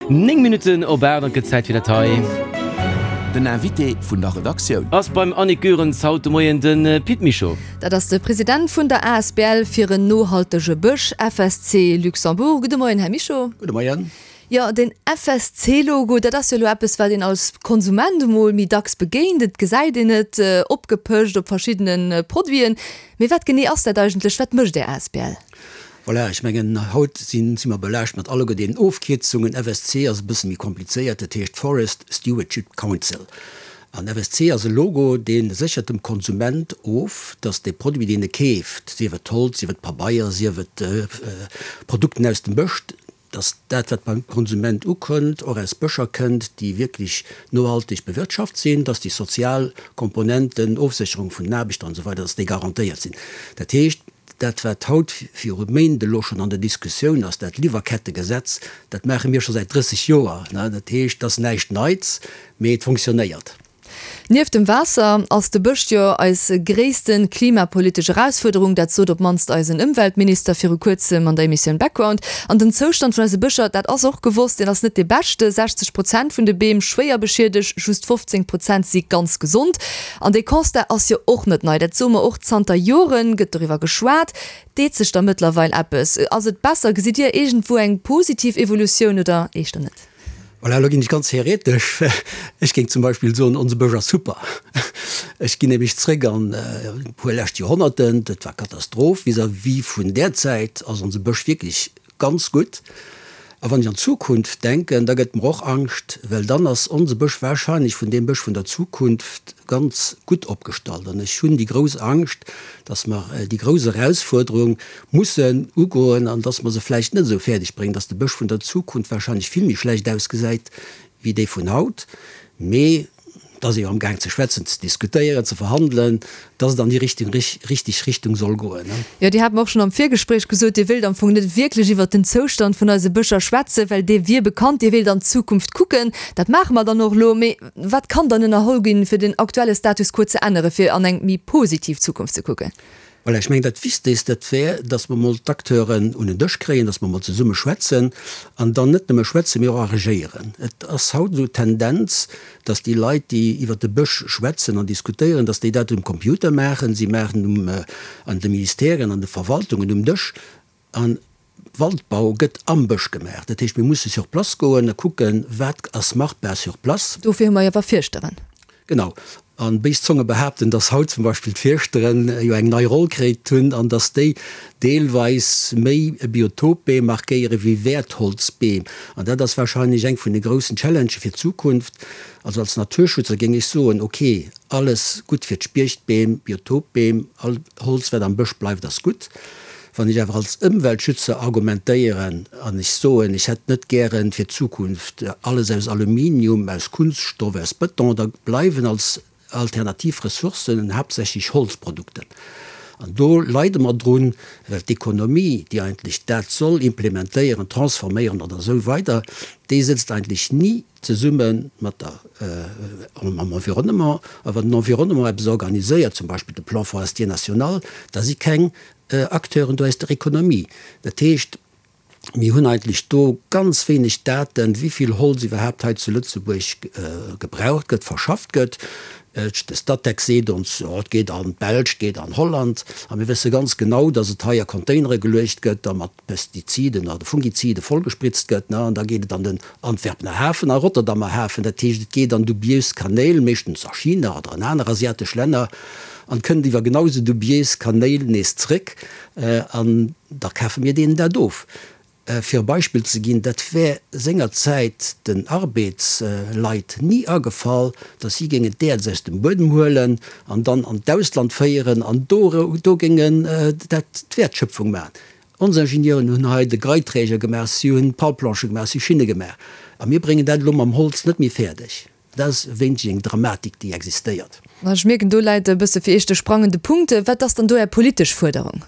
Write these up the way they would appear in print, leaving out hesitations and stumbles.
9 Minutten op 8 an et gëtt Zäit fir dat hei. Den Invité vun der Redaktioun. Ass beim Annick Goerens haut de Moien de Pit Mischo. Dat ass de President vun der asbl fir en nohaltege Bësch, FSC Luxembourg. Gudde Moien, Här Mischo. Gudde Moien. Jo, den FSC-Logo, dat ass jo elo eppes, wat een als Konsument emol méi dacks begéint. Et gesäit een et opgepëscht op verschiddene Produiten. Mee wat genee ass dat eigentlech? Wat mécht Är asbl? Voilà, ech mengen, haut si mer belaascht mat alleguer deenen Ofkierzungen. FSC ass e bësse méi komplizéiert, dat heescht Forest Stewardship Council. An FSC ass e Logo, dee séchert dem Konsument of, dass dee Produit, deen e keeft, sief et Holz, sief et Pabeier, sief et Produkten aus dem Bësch, dass dat, wat beim Konsument ukënnt, och aus Bëscher kënnt, déi wierklech nohalteg bewirtschaft sinn, dass déi sozial Komponenten, Ofsécherung vun den Aarbechter an esou weider, dass déi garantéiert sinn. Dat heescht, dat wat haut viru Méint elo schonn an der Diskussioun ass, dat Liwwerkettegesetz, dat maache mir scho säit 30 Joer. Dat heescht, et ass näischt Neits, mee et fonctionnéiert. Nieft dem Waasser ass de Bësch jo eis gréisste klimapolitesch Erausfuerderung. Dat sot op d'mannst eisen Ëmweltminister viru kuerzem an der Emissioun Background. An den Zoustand vun eise Bëscher, dat ass och gewosst, deen ass net dee beschte. 60 Prozent vun de Beem schwéier beschiedegt, just 15 Prozent si ganz gesond. An dee Constat ass jo och net nei, dat soe mer och zanter Joren, gëtt doriwwer geschwat. Deet sech da mëttlerweil eppes? Ass et besser? Gesitt Dir iergendwou eng positiv Evolutioun oder éischter net? Voilà, elo ginn ech ganz theoretesch. Ech géing zum Beispill soen, onse Bësch ass super. Ech ginn nämlech zréck an e puer lescht Joerhonnerten, dat war Katastroph. Vis-à-vis vun där Zäit ass onse Bësch wierklech Ganz gutt. A wann ech an d'Zukunft denken, da gëtt mer och Angscht, well dann ass onse Bësch wahrscheinlech vun deem Bësch vun der Zukunft ganz gutt opgestallt. An ech hunn déi grouss Angscht, dass mer déi grouss Erausfuerderung mussen ugoen an dass mer se vläicht net esou fäerdeg bréngen, dass de Bësch vun der Zukunft wahrscheinlech vill méi schlecht ausgesäit wéi dee vun haut. Mee Et ass ee jo amgaang ze schwätzen, ze diskutéieren, ze verhandelen, dass et an déi richteg Richtung soll goen. Jo, Dir hat mer och schonn am Virgespréich gesot, Dir wéilt am Fong net wierklech iwwert den Zoustand vun eise Bëscher schwätzen, well dee wier bekannt. Dir wéilt an d'Zukunft kucken. Dat maache mer dann och elo. Mee wat kann dann ënnerholl ginn, fir den aktuelle Status quo ze änneren, fir an eng méi positiv Zukunft ze kucken? Voilà, ech mengen, dat Wichtegst, dat wär, dass mer emol d'Acteuren un en Dësch kréien, dass mer emol zesumme schwätzen an dann net nëmme schwätzen, mee och agéieren. Et ass haut esou d'Tendenz, dass déi Leit, déi iwwert de Bësch schwätzen an diskutéieren, dass déi dat um Computer maachen. Si maachen um, an de Ministèren, an de Verwaltungen um Dësch. An Waldbau gëtt am Bësch gemaach. Dat heescht, mir musse sur place goen a kucken, wat ass machbar sur place. Dofir hu mer jo awer Fierschteren. Genau. A béis Zonge behaapten, dass haut zum Beispill d'Fierschteren jo eng nei Roll kritt hunn an dass déi deelweis méi Biotopbeem markéiere wéi Wäertholzbeem. An dat ass wahrscheinlech eng vun de groussen Challengë fir d'Zukunft. Also als Naturschützer géing ech soen, ok, alles gutt fir d'Spiechtbeem, Biotopbeem, all Holz wat am Bësch bleift ass gutt. Wann ech awer als Ëmweltschützer argumentéieren an ech soen, ech hätt net gären fir d'Zukunft alles aus Aluminium, aus Kunststoff, aus Bëton, da bleiwen als alternativ Ressourcen haaptsächlech Holzprodukten. An do leide mer drun, well d'Ekonomie, déi eigentlech dat soll implementéieren, transforméieren oder esou weider, déi sëtzt eigentlech ni zesumme mat der, mam Environnement. A wann den Environnement eppes organiséiert, zum Beispill de Plan forestier national, da si keng Acteuren do aus der Ekonomie. Dat heescht, mir hunn eigentlech do ganz wéineg Daten, wéi vill Holz iwwerhaapt hei zu Lëtzebuerg gebraucht gëtt, verschafft gëtt. De Statec seet ons, jo, et geet an d'Belsch, et geet an Holland. A mir wësse ganz genau, datt et hei a Containere geluecht gëtt, da mat Pestiziden oder Fungizide vollgespritzt gëtt, an da geet et an den Antwerpener Hafen a Rotterdamer Hafen. Dat heescht, et geet an dubiös Kanéil, meeschtens a China oder an aner asiatesch Länner, an kënnt iwwer genau esou dubiös Kanéil nees zréck, an da kafe mir deenen dat of. Fir e Beispill ze ginn, dat wär sengerzäit den Arbeetsleit ni agefall, datt si géingen d'Äerz aus dem Buedem huelen an dann an d'Ausland féieren an do do géingen dat d'Wäertschöpfung maachen. Ons Ingenieuren hunn hei de Greiträger gemaach, si hunn d'Palplanche gemaach, si hu Schinne gemaach a mir bréngen dat elo mam Holz net méi fäerdeg. Dat ass wéineg eng Dramatik, déi existéiert. Ech mierken, do läit e bësse fir Iech de sprangende Punkt. Wat ass dann do Är politesch Fuerderung?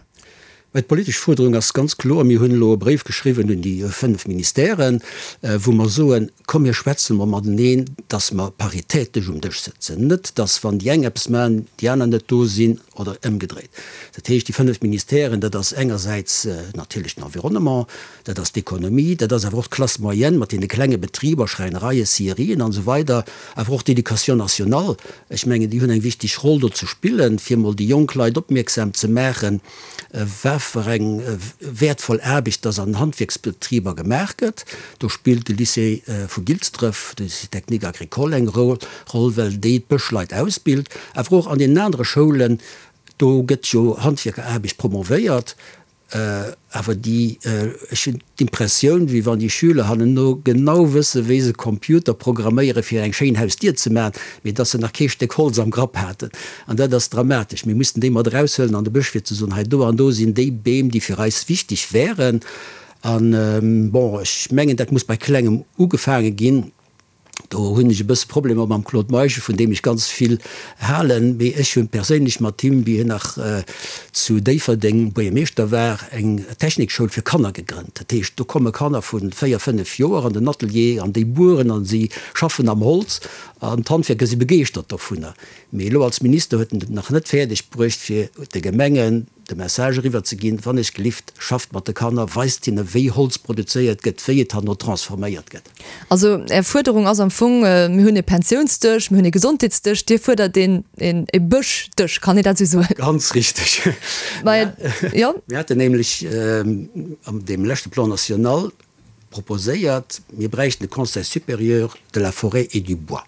Mä d'politesch Fuerderung ass ganz kloer, Mir hunn elo e Bréif geschriwwen un déi 5 Ministèren, wou mer soen, Komm mir schwätze mol mateneen, datt mer paritätesch um Dësch sëtzen. Net, datt wann déi eng eppes maachen, déi aner net do sinn oder ëmgedréit. Dat heescht, déi 5 Ministèren, dat ass engersäits natierlech den Environnement, dat ass d'Ekonomie, dat ass awer och d'Classe moyenne mat deene klenge Betriber, Schräinereien, Scierien an esou weider, awer och d'Éducation nationale. Ech mengen, déi hunn eng wichteg Roll do ze spillen, fir mol déi jonk Leit opmierksam ze maachen, wat fir eng wäertvoll Aarbecht dass an Handwierksbetriber gemaach gëtt. Do spillt de Lycée vu Gilsdref, de Lycée technique agricole eng Roll, well déi d'Bëschleit ausbilt. Awer och an deenen anere Schoulen, do gëtt jo Handwierkeraarbecht promovéiert. Awer déi, ech hunn d'Impressioun, wéi wann déi Schüler hannenno genau wësse wéi se Computer programméiere fir eng schéin Hausdier ze maachen, mee dass se nach kee Stéck Holz am Grapp haten. An dat ass dramatesch. Mir mussen déi mat eraushuelen an de Bësch fir ze soen, hei do an do sinn déi Beem, déi fir eis wichteg wären. An, bon, ech mengen, dat muss bei Klengem ugefaange ginn. Do hunn ech e bësse Problemer mam Claude Meisch, vun deem ech ganz vill halen, mee ech hu perséinlech mat him, wéi hien nach zu Déifferdeng Buergermeeschter war, eng Technikschoul fir Kanner gegrënnt. Dat heescht, do komme Kanner vu 4, 5 Joer an den Atelier an déi bueren an si schaffen am Holz an d'Handwierker si begeeschtert dovunner. Mee elo als Minister huet en et nach net fäerdeg bruecht, fir de Gemengen de Message eriwwer ze ginn, Wann ech gelift, schafft mat de Kanner, weist hinne wéi Holz produzéiert gëtt, wéi et herno transforméiert gëtt. Also Är Fuerderung ass am Fong, mir hunn e Pensiounsdësch, mir hunn e Gesondheetsdësch, Dir fuerdert een e Bëschdësch, kann een dat esou soen? Ganz richteg. Jo. Mir haten nämlech an deem leschte Plan national proposéiert, mir bräichten e Conseil supérieur de la forêt et du bois.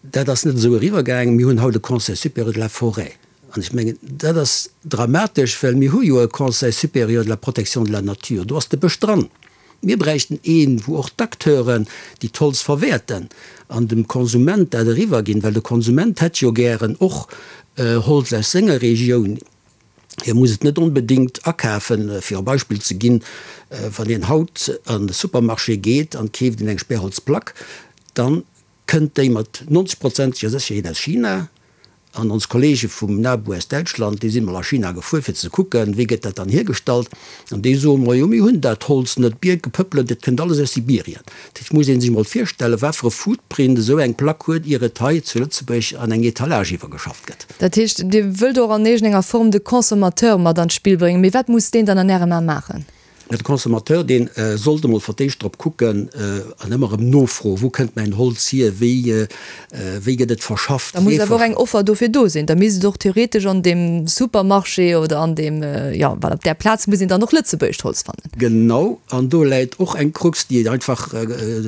Dat ass net esou eriwwergaangen. Mir hunn haut e Conseil supérieur de la forêt. An ech mengen, dat ass dramatesch, well mir hu jo e Conseil supérieur de la protection de la nature. Do ass de Bësch dran. Mir bräichten een, wou och d'Acteuren, déi d'Holz verwäerten, an dem Konsument dat eriwwerginn, well de Konsument hätt jo gären och Holz aus senger Regioun. Hie muss et net onbedéngt akafen. Fir e Beispill ze ginn, Wann een haut an de Supermarché geet an keeft een eng Sperrholzplack, dann kënnt déi mat 90 prozenteger Sécherheet aus China. An ons Kollege vum NABU aus Däitschland, déi sinn mol a China gefuer fir ze kucken, wéi gëtt dat dann hiergestallt. An déi soen, Majo, mir hunn dat Holz net, Bierke, Pëppelen, dat kënnt alles aus Sibirien. Dat muss ee sech mol virstellen, wat fir e Footprint esou eng Plack huet, ier et hei zu Lëtzebuerg an eng Etalage iwwergeschafft gëtt. Dat heescht, Dir wëllt och an iergendenger Form de Consommateur mat an d'Spill bréngen. Mee wat muss deen dann an Ärem A maachen? De Consommateur, dee sollt emol fir d'éischt drop kucken an ëmmer erëm nofroen, Wou kënnt mäin Holz hier? Wéi, wéi gëtt et verschafft? Da muss awer och eng Offer dofir do sinn. Da misst et och theoretesch an deem Supermarché oder an deem, jo, voilà, op där Plaz muss een dann och lëtzebuergescht Holz fannen. Genau, an do läit och eng Krux, déi einfach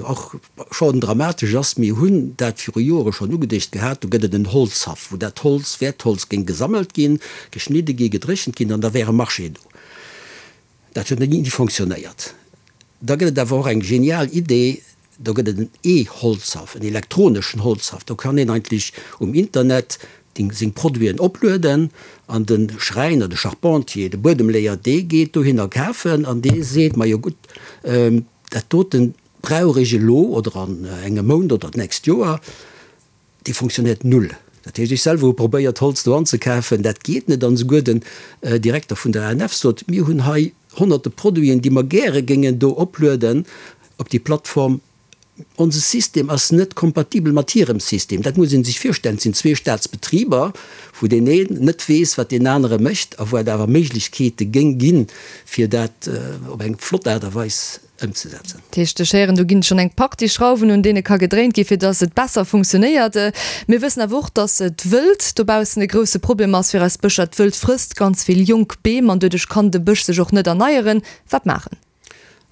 och schonn dramatesch ass. Mir hunn dat viru Jore schonn ugedeegt gehat, do gëtt et en Holzhaff, wou dat Holz, Wäertholz géing gesammelt ginn, geschnidde ginn, gedréchent ginn an da wär e Marché do. Dat huet ni fonctionnéiert. Da gëtt et awer och eng genial Idee, do gëtt et en E-Holzhaff, en elektroneschen Holzhaff. Do kann een eigentlech um Internet seng Produiten oplueden an de Schräiner, de Charpentier, de Buedemleeër, dee geet dohinner kafen an dee seet, majo gutt, dat dote brauch ech elo oder an engem Mount oder d'nächst Joer. Dee fonctionnéiert null. Dat heescht, ech selwer hu probéiert, Holz do anzekafen, dat geet net. An esouguer den Direkter vun der ANF sot, Mir hunn hei honnerte Produiten, déi mer gäre géingen do oplueden op déi Plattform. Onse System ass net kompatibel mat hirem System. Dat muss ee sech virstellen. Et sinn zwee Staatsbetriber, wou deen een net weess, wat deen anere mécht a wou et awer Méiglechkeete géing ginn, fir dat op eng flott Aart a Weis ëmzesetzen. Dat heescht, ech héieren, do ginn schonn eng Partie Schrauwen, un deene ka gedréint ginn, fir datt et besser funktionéiert. Mir wëssen awer och, datt d'Wëld dobaussen e grousse Problem ass fir eis Bëscher. D'Wëld frësst ganz vill jonk Beem an doduerch kann de Bësch sech och net erneieren. Wat maachen?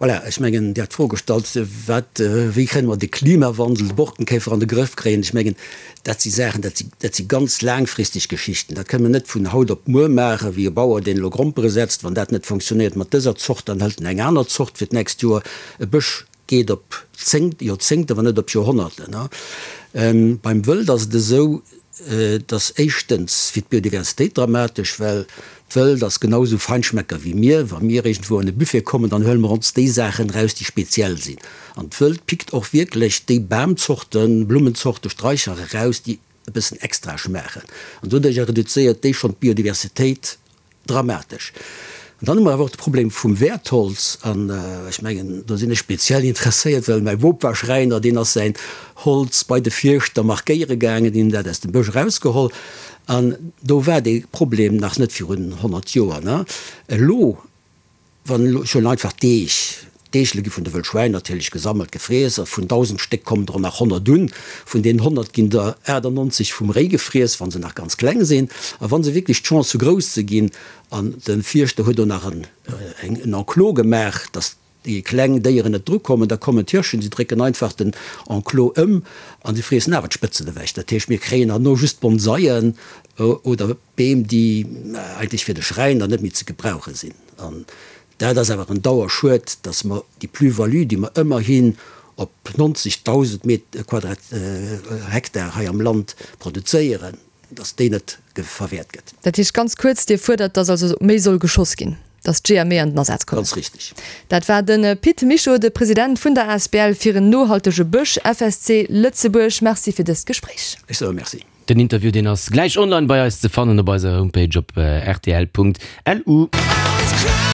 Voilà, ech mengen, Dir hat d'Fro gestallt, wat, wéi kënne mer de Klimawandel, de Borkenkäfer an de Grëff kréien. Ech mengen, Dat si Saachen, dat si, dat si ganz laangfristeg Geschichten. Dat kënne mer net vun haut op muer maachen, wéi e Bauer, deen elo Grompere setzt. Wann dat net fonctionnéiert mat dëser Zort, dann hëlt en eng aner Zort fir d'nächst Joer. E Bësch geet op Zéng, Joerzéngten, wann net op Joerhonnerten. Beim Wëld ass et esou, et ass éischtens fir d'Biodiversitéit dramatesch, well d'Wëld ass genau esou Feinschmecker wéi mir. Wa mir iergendwou an e Buffet kommen, dann huele mer ons déi Saachen eraus, déi speziell sinn. An d'Wëld pickt och wierklech déi Bamzorten, Blummenzorten, Straicher eraus, déi e bëssen extra schmaachen. An doduercher reduzéiert déi schonn d'Biodiversitéit. dramatesch. An dann hu mer awer och de Problem vum Wäertholz. An ech mengen, do sinn ech speziell interesséiert, well mäi Bop war Schräiner, deen ass säin Holz bei de Fierschter markéiere gaangen, deen hunn dat aus dem Bësch erausgeholl. An do war dee Problem nach net virun 100 Joer. Elo Wann elo, ech huelen einfach d'Eech, d'Eechele gi vun de Wëllschwäin natierlech gesammelt, gefriess, a vun 1.000 Stéck kommen der nach 100 un. Vun deenen 100 ginn der 98 vum Réi gefriess, wa se nach ganz kleng sinn. A wa se wierklech d'Chance hu grouss ze ginn, an de Fierschter huet do nach en Enclos gemaach, datt déi kleng Déieren net drukommen, da kommen d'Hirschen, si drécken einfach den Enclos ëm a si friessen awer d'Spëtzen ewech. Dat heescht, mir kréien herno just Bonsaien oder Beem, déi eigentlech fir de Schräiner net méi ze gebrauche sinn. An dat ass awer en Dauerschued, dass mer déi Plus-value, déi mer ëmmerhin op 90.000 Met Quadrat Hektar hei am Land produzéieren, dass déi net verwäert gëtt. Dat heescht ganz kuerz, Dir fuerdert, dass also méi soll geschoss ginn, dass d'Jeeër méi an den Asaz kommen. Ganz richtig. Dat war de Pit Mischo, de President vun der asbl fir en nohaltege Bësch, FSC Lëtzebuerg. Merci fir dëst Gespréich. Ech soe Merci. Den Interview deen ass gläich online bei eis ze fannen op eiser Homepage op rtl.lu.